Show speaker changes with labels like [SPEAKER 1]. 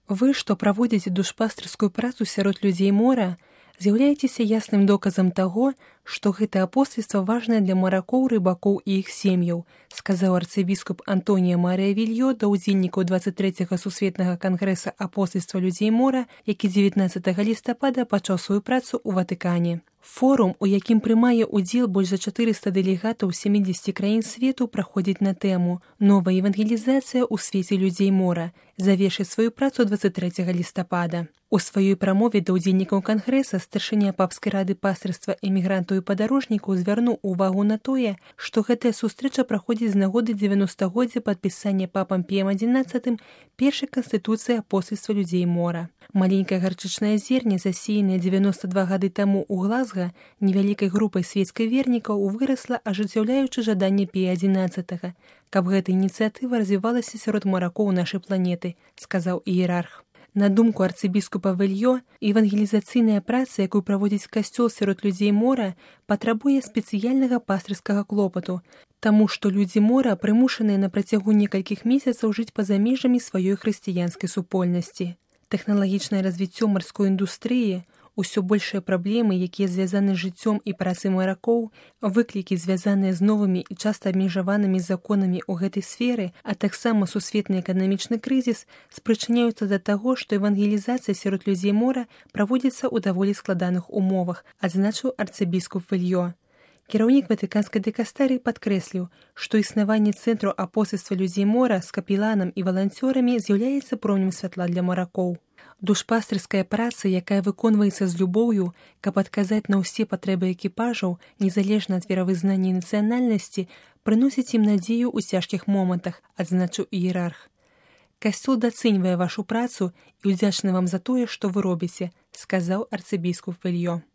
[SPEAKER 1] Вы, што праводзіце душпастырскую працу сярод людзей мора, з'яўляецеся ясным доказам таго, што гэта апостальства важнае для маракоў, рыбакоў і іх сем'яў, сказаў арцыбіскуп Антонія Марыя Вільё да ўдзельнікаў 23-го сусветнага кангрэса апостальства людзей мора, які 19 лістапада пачаў сваю працу ў Ватыкане. Форум, у якім прымае ўдзел больш за 400 дэлегатаў 70 краін свету, праходзіць на тэму «Новая евангелізацыя ў свеце людзей мора», завершыць сваю працу 23 лістапада. У сваёй прамове да ўдзельнікаў кангрэса старшыня папскай рады пастырства эмігрантаў і падарожнікаў звярнуў увагу на тое, што гэтая сустрэча праходзіць з нагоды 90-годдзя падпісання папам Піем XI першай канстытуцыі апостальства людзей мора. Маленькае гарчычнае зерне, засеянае 92 гады таму ў Глазга, невялікай групай свецкай вернікаў вырасла, ажыццяўляючы жаданне Пія XI, каб гэта ініцыятыва развівалася сярод маракоў нашай планеты, сказаў іерарх. На думку арцыбіскупа Вільё, евангелізацыйная праца, якую праводзіць касцёл сярод людзей мора, патрабуе спецыяльнага пастырскага клопату, таму што людзі мора прымушаныя на працягу некалькіх месяцаў жыць па-за межамі сваёй хрысціянскай супольнасці. Тэхналагічнае развіццё марской індустрыі, усё большыя праблемы, якія звязаны з жыццём і працай маракоў, выклікі, звязаныя з новымі і часта абмежаванымі законамі ў гэтай сферы, а таксама сусветны эканамічны крызіс спрычыняюцца да таго, што евангелізацыя сярод людзей мора праводзіцца ў даволі складаных умовах, адзначыў арцыбіскуп Вільё. Кіраўнік ватыканскай дыкастарыі падкрэсліў, што існаванне цэнтру апостальства людзей мора з капеланам і валанцёрамі з'яўляецца промнем святла для маракоў. Душпастырская праца, якая выконваецца з любоўю, каб адказаць на ўсе патрэбы экіпажаў, незалежна ад веравызнання і нацыянальнасці, прыносіць ім надзею ў цяжкіх момантах, адзначыў іерарх. Касцёл дацэньвае вашу працу і ўдзячны вам за тое, што вы робіце, сказаў арцыбіскуп Вільё.